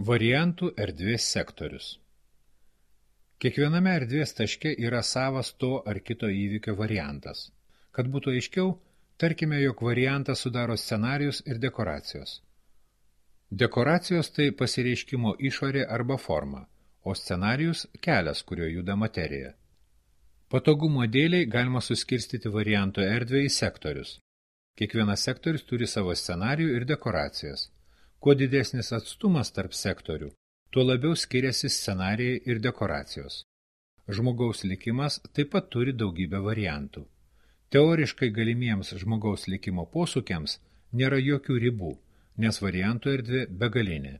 Variantų erdvės sektorius. Kiekviename erdvės taške yra savas to ar kito įvykio variantas. Kad būtų aiškiau, tarkime, jog variantą sudaro scenarijus ir dekoracijos. Dekoracijos tai pasireiškimo išorė arba forma, o scenarijus kelias, kuriuo juda materija. Patogumo dėliai galima suskirstyti variantų erdvę į sektorius. Kiekvienas sektorius turi savo scenarijų ir dekoracijas. Kuo didesnis atstumas tarp sektorių, tuo labiau skiriasi scenarijai ir dekoracijos. Žmogaus likimas taip pat turi daugybę variantų. Teoriškai galimiems žmogaus likimo posūkiams nėra jokių ribų, nes variantų erdvė begalinė.